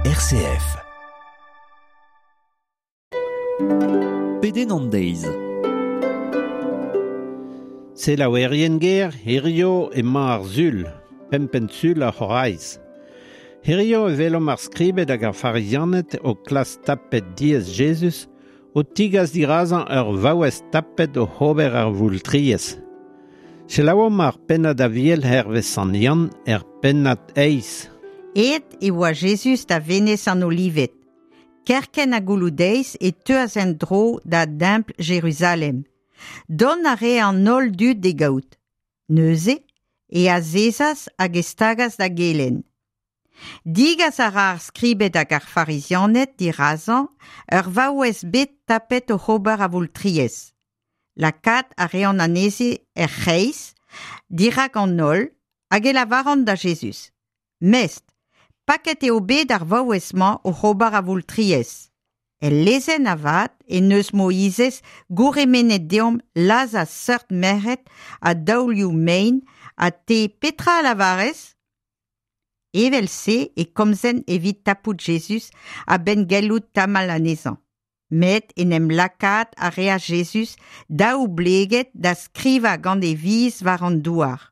RCF. Pedenn an deiz. Selaouerien ger, hirio emañ ar sul, pempen sul ar c'horaiz. Hirio e welomp ar skribed hag ar farizianed o klas tapet diez Jezuz, o tigas dirazañ ur vaouez tapet o ober ar voultriez. Selaouomp ar pennad aviel hervez Sant Yann er pennad eiz. Aet e oa Jezuz da Venez an Olived. Kerkent ha gouloù-deiz e teuas en-dro da Dempl Jeruzalem. Dont a rae an holl dud d'e gaout. Neuze e azezas hag e stagas da gelenn. Digas a ra ar skribed hag ar farizianed dirazañ ur vaouez bet tapet oc'h ober avoultriezh. Lakaat a reont anezhi er c'hreiz, dirak an holl, hag e lavaront da Jezuz: Mestr, paket eo bet ar vaouez-mañ oc'h ober avoultriezh. El lezenn avat en deus Moizez gourc'hemennet deomp lazhañ seurt merc'hed a daolioù mein ha te petra a lavarez? Evel-se e komzent evit tapout Jezuz a-benn gellout tamall anezhañ. Met en em lakaat a reas Jezuz daoubleget da skrivañ gant e viz war an douar.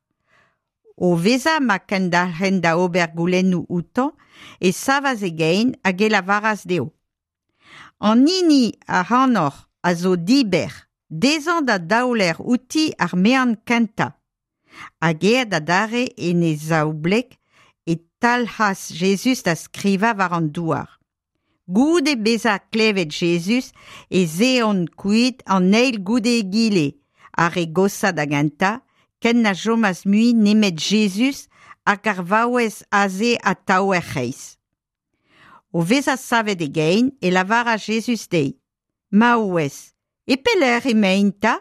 O vezañ ma kendalc'hent da ober goulennoù outañ e savas e gein hag e lavaras dezho: An hini ac'hanoc'h a zo dibec'h, dezhañ da daoler outi ar mean kentañ. Hag aet adarre en e zaoubleg e talc'has Jezuz da skrivañ war an douar. Goude bezañ klevet Jezuz ez eont kuit an eil goude egile, ar re goshañ da gentañ, ken na chomas mui nemet Jezuz hag ar vaouez aze atav er c'hreiz. O vezañ savet e gein e lavaras Jezuz dezhi: Maouez, e pelec'h emaint 'ta?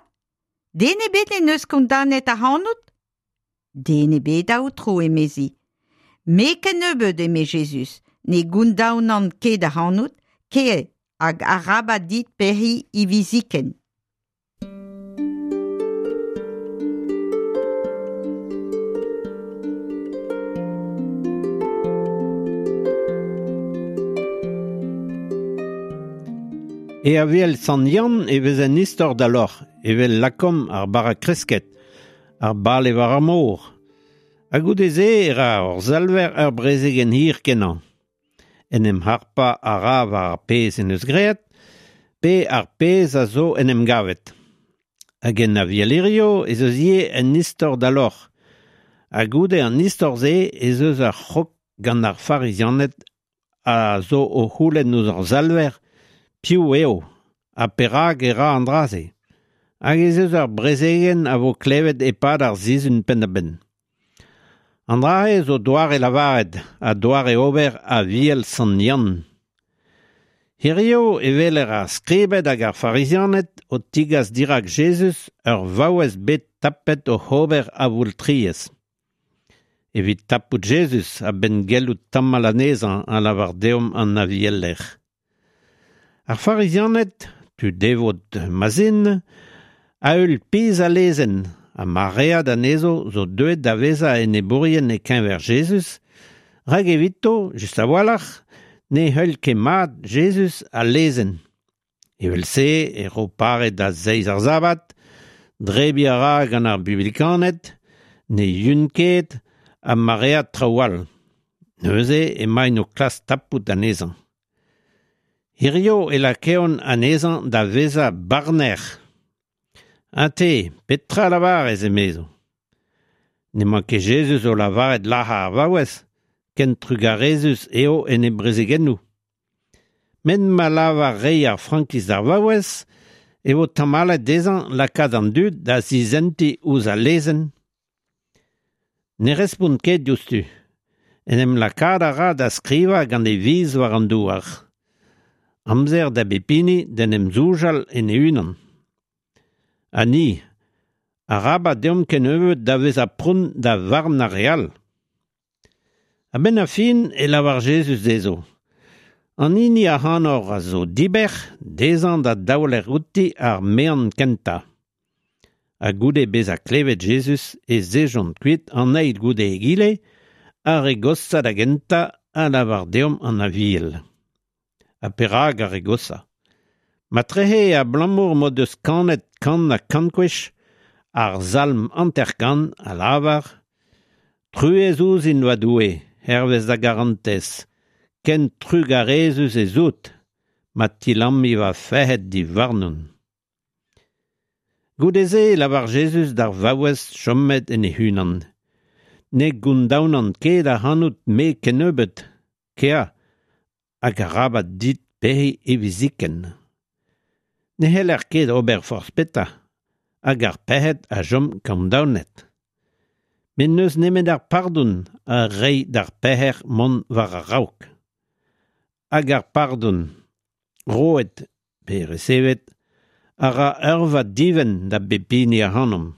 Den ebet en deus kondaonet ac'hanout? Den ebet, Aotrou, emezi. Me kennebeut, eme Jezuz, ne gondaonan ket ac'hanout, kae hag arabat dit pec'hiñ hiviziken. E Aviel Sant Yann e vez un istor da lorc'h, evel lakaomp ar bara kresket, ar bale war ar mor. Ha goude-se e ra hor Salver ur brezegenn hir-kenañ. En em harpañ a ra war ar pezh en deus graet, pe ar pezh a zo en em gavet. Hag en Aviel hirio ez eus ivez un istor da lorc'h. Ha goude an istor-se ez eus ur c'hrog gant ar Farizianed a zo o c'houlenn ouzh hor Salver piv eo ha perak e ra an dra-se. Hag ez eus ur brezegenn a vo klevet e-pad ar sizhun penn-da-benn. An dra-se zo doare lavaret ha doare ober Aviel Sant Yann. Hirio e weler ar skribed hag ar farizianed o tigas dirak Jezuz ur vaouez bet tapet oc'h ober avoultriezh. Evit tapout Jezuz a-benn gellout tamall anezhañ a lavar deomp an avieler. Ar farizianed, tud devot ma'z int, a heul pizh al lezenn ha maread anezho zo deuet da vezañ enebourien e-keñver Jezuz, rak evito, just a-walc'h, ne heul ket mat Jezuz al lezenn. Evel-se e ro pare da zeiz ar sabad, drebiñ a ra gant ar bublikaned, ne yun ket ha maread traoù all. Neuze emaint o klask tapout anezhañ. Hirio e lakaont anezhañ da vezañ barner. Ha te, petra a lavarez, emezo? N'emañ ket Jezuz o lavaret lazhañ ar vaouez, ken trugarezus eo en e brezegennoù. Met ma lavar reiñ ar frankiz d'ar vaouez e vo tamallet dezhañ lakaat an dud da zisentiñ ouzh al lezenn. Ne respont ket diouzhtu. En em lakaat a ra da skrivañ gant e viz war an douar. Amzer da bep hini d'en em soñjal en e-unan. Ha ni, arabat deomp kennebeut da vezañ pront da varn ar re all. A-benn ar fin e lavar Jezuz dezho: An hini ac'hanoc'h a zo dibec'h, dezhañ da daoler outi ar mean kentañ. Ha goude bezañ klevet Jezuz ez ejont kuit an eil goude egile, ar re goshañ da gentañ a lavar deomp an Aviel. Ha perak ar re goshañ? Matrehe abalamour m'o deus kanet kant ha kant gwech ar salm 50 a lavar Truez ouzhin va Doue, hervez da garantez, ken trugarezus ez out, ma tilammi va fec'hed diwarnon. Goude-se e lavar Jezuz d'ar vaouez chomet en e-unan. Ne gondaonan ket ac'hanout me kennebeut, kea, hag arabat dit pec'hiñ hiviziken. Ne c'heller ket ober forzh petra, hag ar pec'hed a chom kondaonet. Met n'eus nemet ar pardon a reiñ d'ar pec'her mont war a-raok. Hag ar pardon, roet pe resevet, a ra eurvad divent da bep hini ac'hanomp.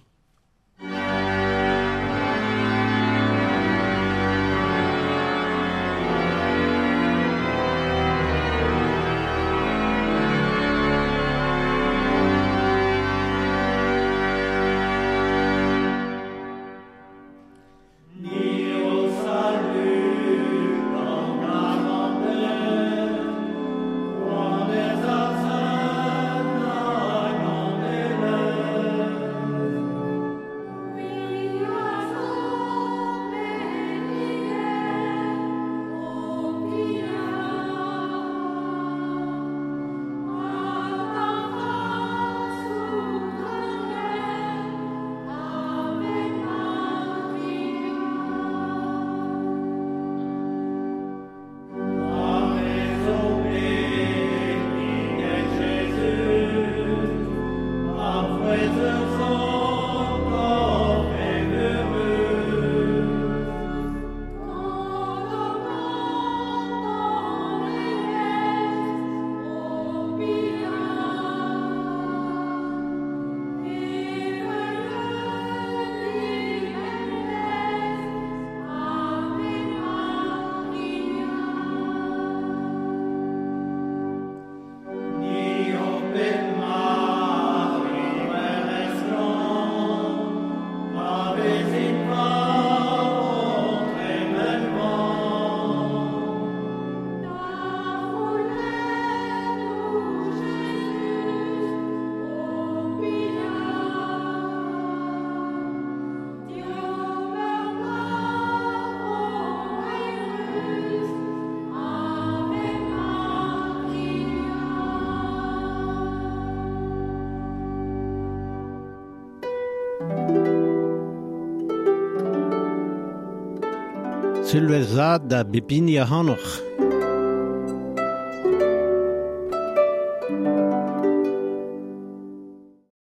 Sulvezh vat da bep hini ac'hanoc'h.